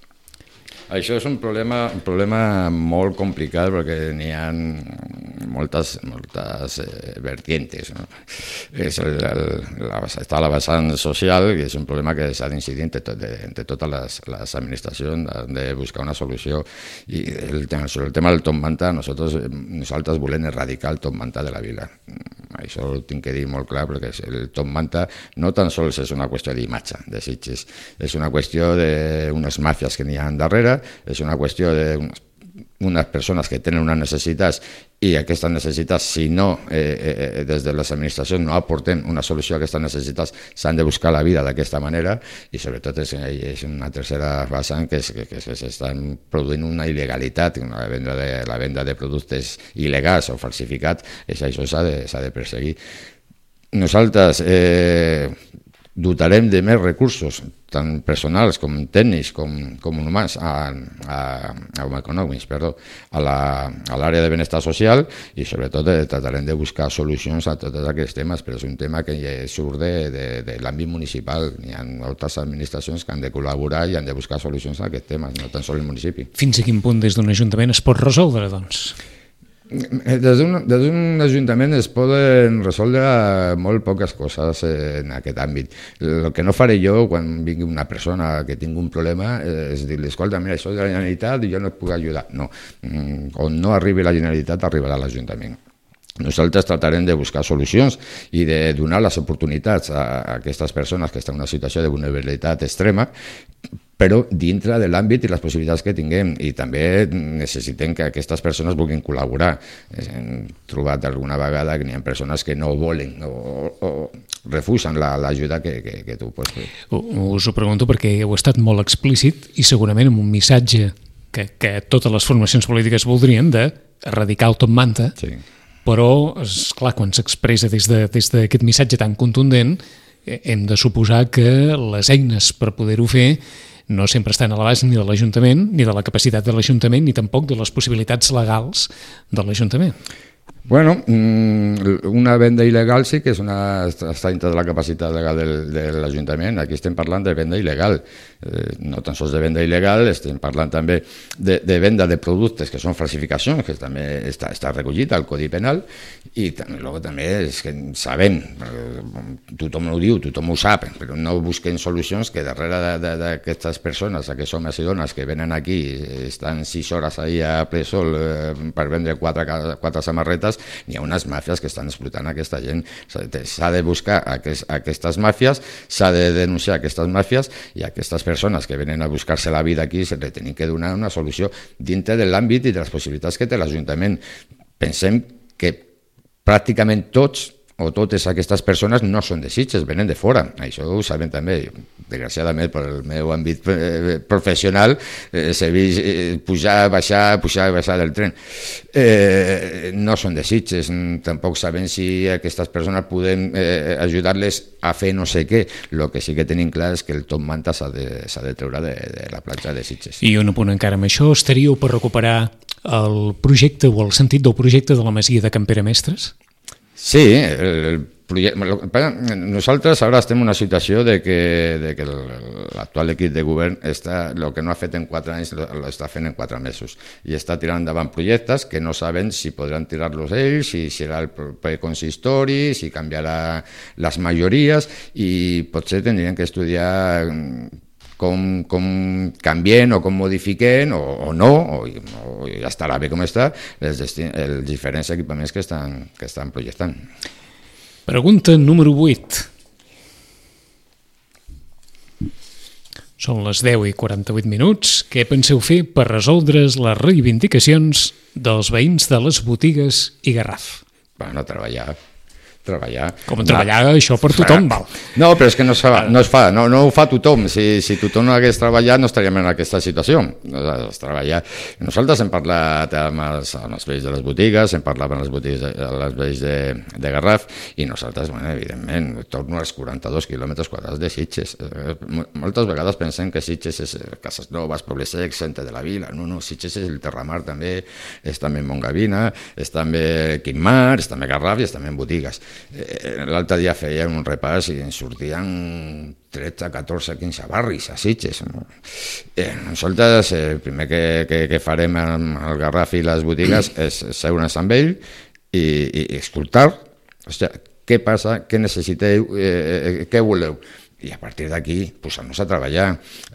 això és un problema, un problema molt complicat perquè n'hi ha moltes, moltes eh, vertientes. No? És el, el, la, està la vessant social, que és un problema que s'ha d'incidir entre, tot, entre totes les, les administracions, de buscar una solució. I el tema, sobre el tema del top manta, nosaltres, nosaltres volem erradicar el top manta de la vila. Això ho tinc que dir molt clar, perquè el top manta no tan sols és una qüestió d'imatge de Sitges, és una qüestió d'unes màfies que n'hi ha darrere, és una qüestió d'unes unes persones que tenen unes necessitats i aquestes necessitats, si no, eh, eh, des de les administracions no aportem una solució a aquestes necessitats, s'han de buscar la vida d'aquesta manera i sobretot és, és una tercera vessant que, és, que, que s'estan produint una il·legalitat, la venda de, la venda de productes il·legals o falsificats, és, això s'ha de, s'ha de perseguir. Nosaltres eh, dotarem de més recursos, tant personals com tècnics com, com humans, a, a, a, econòmics, perdó, a l'àrea de benestar social i sobretot eh, tratarem de buscar solucions a tots aquests temes, però és un tema que surt de, de, de l'àmbit municipal. Hi ha altres administracions que han de col·laborar i han de buscar solucions a aquests temes, no tan sols el municipi. Fins a quin punt des d'un ajuntament es pot resoldre, doncs? Des d'un ajuntament es poden resoldre molt poques coses en aquest àmbit. El que no faré jo quan vingui una persona que tingui un problema és dir-li, escolta, mira, això és de la Generalitat i jo no et puc ajudar. No, on no arribi la Generalitat arribarà l'Ajuntament. Nosaltres tratarem de buscar solucions i de donar les oportunitats a aquestes persones que estan en una situació de vulnerabilitat extrema, però dintre de l'àmbit i les possibilitats que tinguem, i també necessitem que aquestes persones vulguin col·laborar. Hem trobat alguna vegada que hi ha persones que no volen o, o refusen l'ajuda que, que, que tu pots fer. Us ho pregunto perquè heu estat molt explícit i segurament amb un missatge que, que totes les formacions polítiques voldrien d'erradicar el top manta, sí. Però, esclar, quan s'expressa des d'aquest de, missatge tan contundent, hem de suposar que les eines per poder-ho fer no sempre estan a l'abast ni de l'Ajuntament, ni de la capacitat de l'Ajuntament, ni tampoc de les possibilitats legals de l'Ajuntament. Bueno, una venda il·legal sí que és una, està dintre de la capacitat legal del, de l'Ajuntament. Aquí estem parlant de venda il·legal, eh, no tan sols de venda il·legal, estem parlant també de, de venda de productes que són falsificacions, que també està, està recollit al Codi Penal, i també, també és que sabem, tothom ho diu, tothom ho sap, però no busquen solucions que darrere d'aquestes persones, aquests homes i dones que venen aquí, estan sis hores ahir a ple sol eh, per vendre quatre, quatre samarretes, n'hi ha unes màfies que estan explotant aquesta gent. S'ha de buscar aquest, aquestes màfies, s'ha de denunciar aquestes màfies i aquestes persones que venen a buscar-se la vida aquí se li tenen que donar una solució dintre de l'àmbit i de les possibilitats que té l'Ajuntament. Pensem que pràcticament tots o totes aquestes persones no són de Sitges, venen de fora. Això ho sabem també. desgraciadament per el meu àmbit professional, eh, s'he vist pujar, baixar, pujar i baixar del tren. Eh, no són de Sitges, tampoc sabem si aquestes persones podem eh, ajudar-les a fer no sé què. El que sí que tenim clar és que el top manta s'ha de, s'ha de treure de, de la platja de Sitges. I un apunt encara amb això, estaríeu per recuperar el projecte o el sentit del projecte de la masia de Can Pere Mestres? Sí, el, el nosaltres ara estem en una situació de que, de que l'actual equip de govern està, el que no ha fet en quatre anys l'està fent en quatre mesos i està tirant endavant projectes que no saben si podran tirar-los ells, si serà el proper consistori, si canviarà les majories i potser tindrien que estudiar com, com canvien o com modifiquen o, o no, o, o ja estarà bé com està els, els diferents equipaments que estan, que estan projectant. Pregunta número vuit. Són les deu i quaranta-vuit minuts. Què penseu fer per resoldre les reivindicacions dels veïns de les botigues i Garraf? Bueno, treballar. treballar. Com treballar, no, això per tothom val. No, però és que no es fa, no, es fa, no, no ho fa tothom. Si, si tothom no hagués treballat no estaríem en aquesta situació. Es treballar. Nosaltres hem parlat amb els, amb els veïns de les botigues, hem parlat amb les botigues de, les veïns de, de Garraf i nosaltres, bueno, evidentment, torno als quaranta-dos quilòmetres quadrats de Sitges. Moltes vegades pensem que Sitges és Cases Noves, Poble Sec, centre de la vila. No, no, Sitges és el Terramar també, és també Montgavina, és també Quimar, és també Garraf i és també botigues. L'altre dia feien un repàs i ens sortien tretze, catorze, quinze barris a Sitges. Eh, nosaltres el primer que, que, que farem al Garraf i les botigues és seure'ns amb ell i, i escoltar, hòstia, què passa, què necessiteu, eh, què voleu. I a partir d'aquí posar-nos a treballar.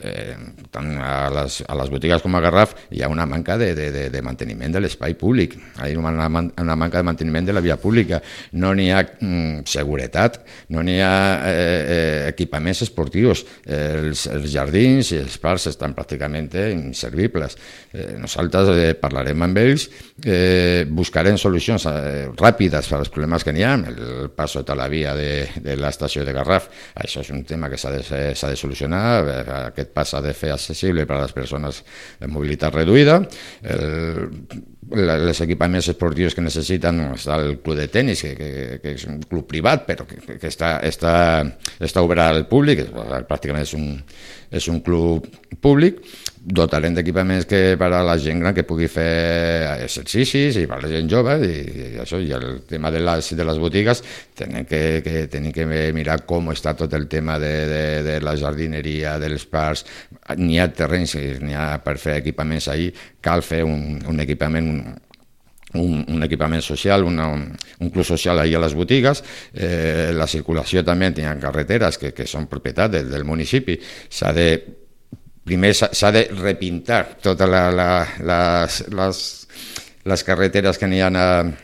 Eh, tant a les, a les botigues com a Garraf hi ha una manca de, de, de manteniment de l'espai públic, hi ha una, una manca de manteniment de la via pública, no n'hi ha mm, seguretat, no n'hi ha eh, eh, equipaments esportius, eh, els, els jardins i els parcs estan pràcticament inservibles. Eh, nosaltres eh, parlarem amb ells, eh, buscarem solucions eh, ràpides per als problemes que n'hi ha, el pas sota la via de, de l'estació de Garraf, això és un tema que s'ha de, s'ha de solucionar, aquest pas s'ha de fer accessible per a les persones de mobilitat reduïda, el, els equipaments esportius que necessiten, està el club de tenis, que, que, que és un club privat, però que, que està, està, està obert al públic, pràcticament és un, és un club públic, dotarem d'equipaments que per a la gent gran que pugui fer exercicis i per a la gent jove i, i això, i el tema de les, de les botigues tenim que, que, tenim que mirar com està tot el tema de, de, de la jardineria, dels parcs, n'hi ha terrenys, n'hi ha per fer equipaments ahí, cal fer un, un equipament un, Un, un equipament social, una, un, un club social ahí a les botigues, eh, la circulació també, hi ha carreteres que, que són propietat del, del municipi, s'ha de primer s'ha de repintar totes la, la, les, les, les carreteres que n'hi ha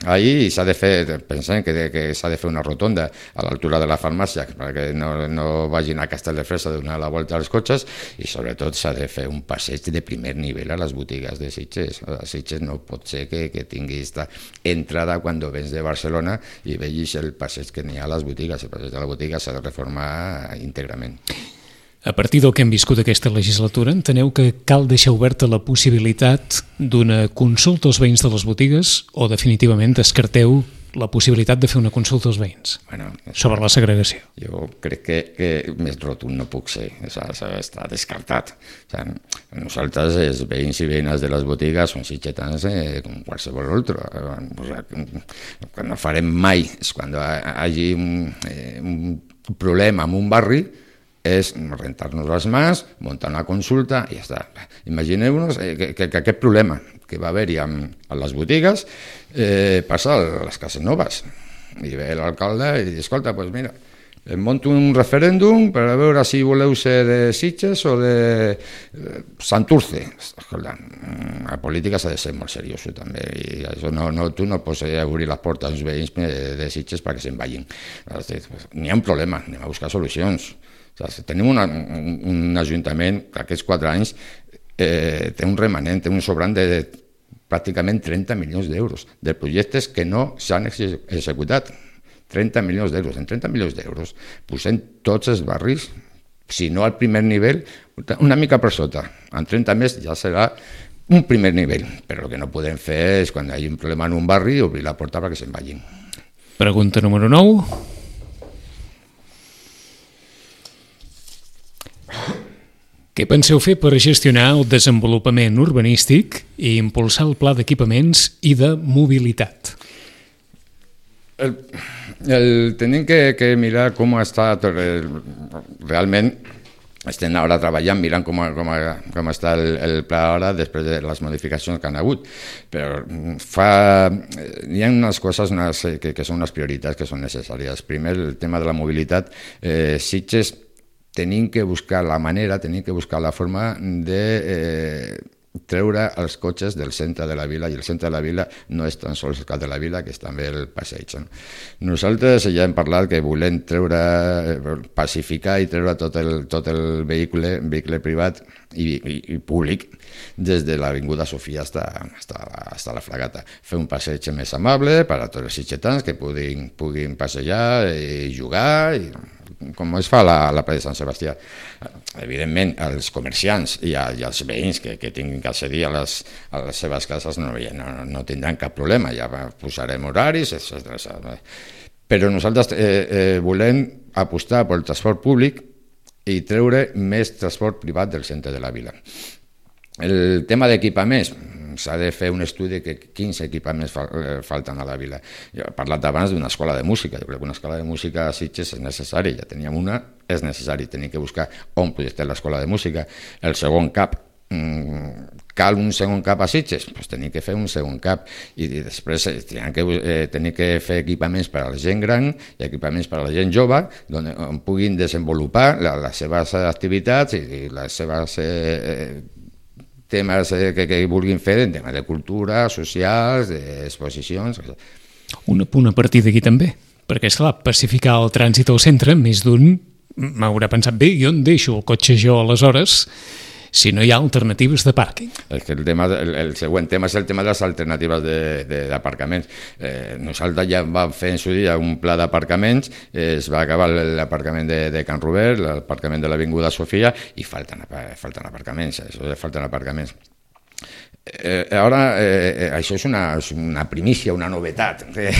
ahí i s'ha de fer, pensem que, que s'ha de fer una rotonda a l'altura de la farmàcia perquè no, no vagin a Castelldefels a donar la volta als cotxes i sobretot s'ha de fer un passeig de primer nivell a les botigues de Sitges. A Sitges no pot ser que, que tingui esta entrada quan vens de Barcelona i vegis el passeig que n'hi ha a les botigues. El passeig de la botiga s'ha de reformar íntegrament. A partir del que hem viscut aquesta legislatura, enteneu que cal deixar oberta la possibilitat d'una consulta als veïns de les botigues o definitivament descarteu la possibilitat de fer una consulta als veïns bueno, sobre la segregació? Jo crec que, que més rotund no puc ser, està descartat. O sigui, nosaltres, els veïns i veïnes de les botigues, són sitgetans eh, com qualsevol altre. O sigui, el que no farem mai és quan hi hagi un, eh, un problema en un barri és rentar-nos les mans, muntar una consulta i ja està. Imagineu-nos que, que, que aquest problema que va haver-hi amb, amb les botigues eh, passa a les Cases Noves. I ve l'alcalde i diu, escolta, doncs mira, em monto un referèndum per a veure si voleu ser de Sitges o de Santurce. Escolta, la política s'ha de ser molt seriós també i això no, no, tu no pots obrir les portes als veïns de Sitges perquè se'n vagin. N'hi ha un problema, anem a buscar solucions. O sigui, tenim una, un, un ajuntament que aquests quatre anys eh, té un remanent, té un sobrant de, de pràcticament trenta milions d'euros de projectes que no s'han executat. trenta milions d'euros. En trenta milions d'euros posem tots els barris, si no al primer nivell, una mica per sota. En trenta més ja serà un primer nivell, però el que no podem fer és, quan hi ha un problema en un barri, obrir la porta perquè se'n vagin. Pregunta número nou. Què penseu fer per gestionar el desenvolupament urbanístic i impulsar el pla d'equipaments i de mobilitat? El, el tenim que, que mirar com està el, realment. Estem ara treballant, mirant com, com, com està el, el pla ara després de les modificacions que han hagut. Però fa, hi ha unes coses unes, que, que són unes prioritats que són necessàries. Primer, el tema de la mobilitat. Eh, Sitges tenim que buscar la manera, tenim que buscar la forma de eh, treure els cotxes del centre de la vila, i el centre de la vila no és tan sols el cap de la vila, que és també el passeig. No? Nosaltres ja hem parlat que volem treure, pacificar i treure tot el, tot el vehicle, vehicle privat i, i, i públic des de l'Avinguda Sofia fins a la Fragata. Fer un passeig més amable per a tots els sitgetans que puguin, puguin passejar i jugar, i com es fa a la, la plaça de Sant Sebastià. Evidentment, els comerciants i, a, i els veïns que, que tinguin que accedir a les, a les seves cases no, no, no tindran cap problema, ja posarem horaris, etcètera. Però nosaltres eh, eh, volem apostar pel transport públic i treure més transport privat del centre de la vila. El tema d'equipaments, s'ha de fer un estudi de quins equipaments falten a la vila. Jo he parlat abans d'una escola de música. Jo crec que una escola de música a Sitges és necessari. Ja teníem una, és necessari. Tenim que buscar on projectar l'escola de música. El segon cap, cal un segon cap a Sitges? Doncs tenim que fer un segon cap. I després tenim que, eh, tenim que fer equipaments per a la gent gran i equipaments per a la gent jove, on puguin desenvolupar les seves activitats i les seves eh, temes que, que vulguin fer, en temes de cultura, socials, d'exposicions. Un apunt a partir d'aquí també, perquè, esclar, pacificar el trànsit al centre, més d'un m'haurà pensat, bé, i on deixo el cotxe jo aleshores, si no hi ha alternatives de pàrquing? El, tema, el, el següent tema és el tema de les alternatives d'aparcaments. Eh, nosaltres ja vam fer en su dia un pla d'aparcaments, eh, es va acabar l'aparcament de, de Can Robert, l'aparcament de l'Avinguda Sofia, i falten, falten aparcaments, això falten aparcaments. Eh, ara, eh, això és una, una primícia, una novetat. Eh,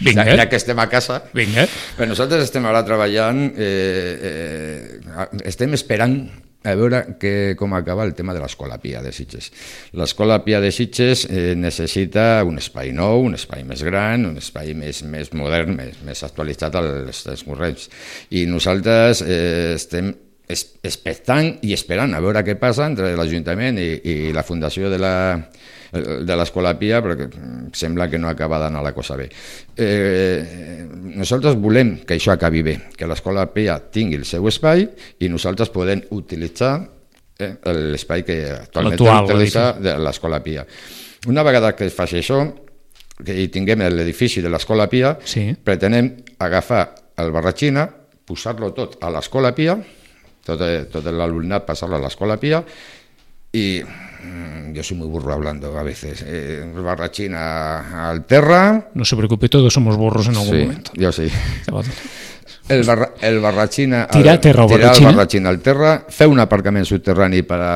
ja, ja que estem a casa, Vinga. Però nosaltres estem ara treballant, eh, eh, estem esperant a veure que, com acaba el tema de l'Escola Pia de Sitges. L'Escola Pia de Sitges eh, necessita un espai nou, un espai més gran, un espai més, més modern, més, més actualitzat als temps corrents. I nosaltres eh, estem expectant i esperant a veure què passa entre l'Ajuntament i, i la Fundació de la de l'Escola Pia, perquè sembla que no acaba d'anar la cosa bé. Eh, nosaltres volem que això acabi bé, que l'Escola Pia tingui el seu espai i nosaltres podem utilitzar eh, l'espai que actualment utilitza de l'Escola Pia. Una vegada que es faci això, que hi tinguem l'edifici de l'Escola Pia, sí. Pretenem agafar el Barratxina, posar-lo tot a l'Escola Pia, tot, tot l'alumnat passar-lo a l'Escola Pia, y yo soy muy burro hablando a veces. Eh, Barratxina al terra. No se preocupe, todos somos burros en algún sí, momento. Yo sí. El, barra, el Barratxina tirar, terra, tirar el Barratxina al terra, fer un aparcament subterrani per a,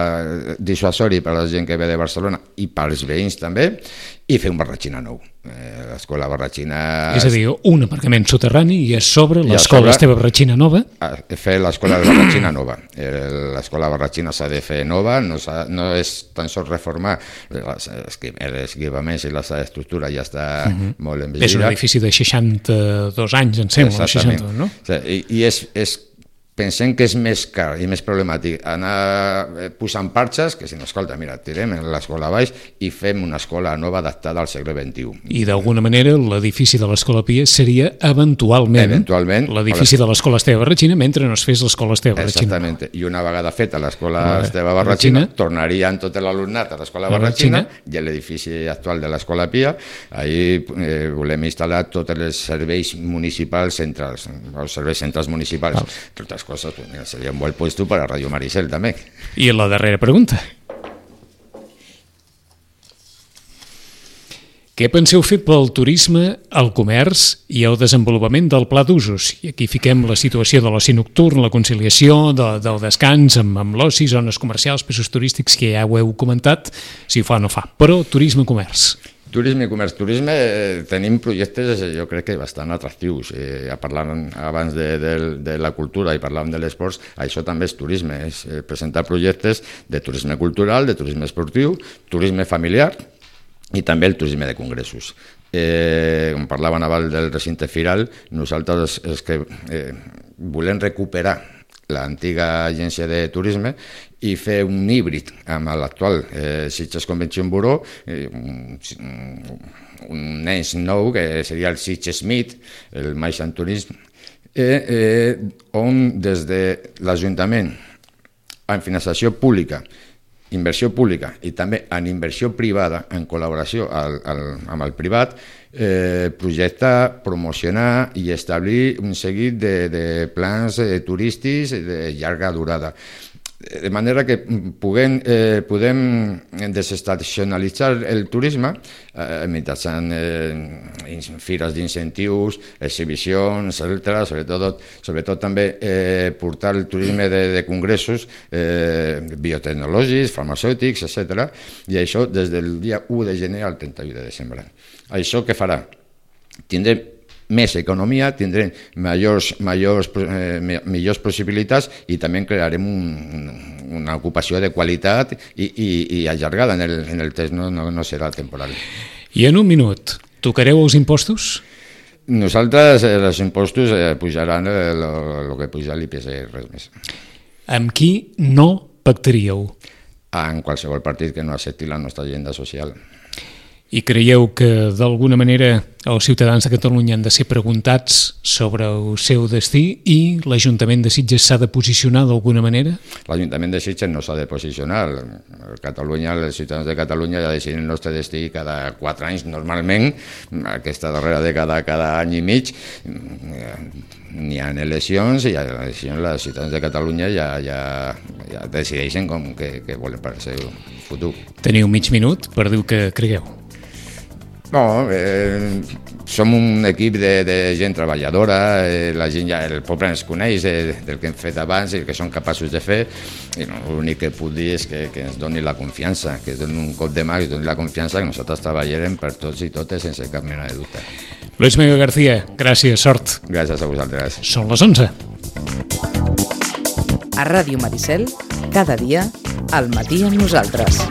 dissuasori per a la gent que ve de Barcelona i per als veïns també, i fer un Barratxina nou. Eh, l'escola Barratxina... És a dir, un aparcament soterrani i a sobre l'escola Esteve Barratxina nova? Fer l'escola Barratxina nova. L'escola Barratxina s'ha de fer nova, no, no és tan sols reformar els equipaments i la estructura ja està uh -huh. molt envellida. És un edifici de seixanta-dos anys, em sembla, seixanta, no? I, i és, és pensem que és més car i més problemàtic anar posant parxes que si no, escolta, mira, tirem l'escola a baix i fem una escola nova adaptada al segle vint-i-u. I d'alguna manera l'edifici de l'Escola Pia seria eventualment, eventualment l'edifici de l'Escola Esteve Barratxina mentre no es fes l'Escola Esteve Barratxina. Exactament, i una vegada feta l'Escola Esteve Barratxina, tornarien tot l'alumnat a l'Escola Barratxina i l'edifici actual de l'Escola Pia. Ahí eh, volem instal·lar tots els serveis municipals centrals, els serveis centrals municipals, totes coses, pues mira, sería un buen puesto para Radio Maricel també. I la darrera pregunta. Què penseu fer pel turisme, el comerç i el desenvolupament del pla d'usos? I aquí fiquem la situació de l'oci nocturn, la conciliació de, del descans amb, amb l'oci, zones comercials, pisos turístics, que ja ho heu comentat, si fa o no fa. Però turisme i comerç. Turisme i comerç. Turisme, eh, tenim projectes, jo crec que bastant atractius. Eh, parlàvem abans de, de, de la cultura i parlàvem de l'esports, això també és turisme, és eh, presentar projectes de turisme cultural, de turisme esportiu, turisme familiar, i també el turisme de congressos. Eh, com parlaven abans del recinte firal, nosaltres és que eh, volem recuperar l'antiga agència de turisme i fer un híbrid amb l'actual eh, Sitges Convention Bureau, eh, un, un ens nou que seria el Sitges Meet, el Maixan Turisme, eh, eh, on des de l'Ajuntament, amb finançació pública, inversió pública i també en inversió privada, en col·laboració al, al, amb el privat, eh, projectar, promocionar i establir un seguit de, de plans eh, turístics de llarga durada. De manera que puguem, eh, podem desestacionalitzar el turisme eh, mitjançant eh, fires d'incentius, exhibicions, etcètera. Sobretot, sobretot també eh, portar el turisme de, de congressos eh, biotecnològics, farmacèutics, etcètera. I això des del dia u de gener al trenta-u de desembre. Això què farà? Tindrem més economia, tindrem majors, majors, eh, millors possibilitats i també crearem un, una ocupació de qualitat i, i, i allargada en el, en el temps, no, no, no serà temporal. I en un minut, tocareu els impostos? Nosaltres, eh, els impostos eh, pujaran el que puja l'I P C, res més. Amb qui no pactaríeu? En qualsevol partit que no accepti la nostra agenda social. I creieu que, d'alguna manera, els ciutadans de Catalunya han de ser preguntats sobre el seu destí i l'Ajuntament de Sitges s'ha de posicionar d'alguna manera? L'Ajuntament de Sitges no s'ha de posicionar. Catalunya, els ciutadans de Catalunya ja decidim el nostre destí cada quatre anys, normalment. Aquesta darrera dècada, cada any i mig, n'hi ha eleccions i a les eleccions els ciutadans de Catalunya ja, ja, ja decideixen com que, que volen per al seu futur. Teniu mig minut per dir que cregueu. No, eh, som un equip de, de gent treballadora, eh, la gent ja, el poble ens coneix eh, del que hem fet abans i el que som capaços de fer, i no, l'únic que puc dir és que, que ens doni la confiança, que ens doni un cop de mà, que ens doni la confiança que nosaltres treballarem per tots i totes sense cap mena de dubte. Luis Miguel García, gràcies, sort. Gràcies a vosaltres. Són les onze. A Ràdio Maricel, cada dia, al matí amb nosaltres.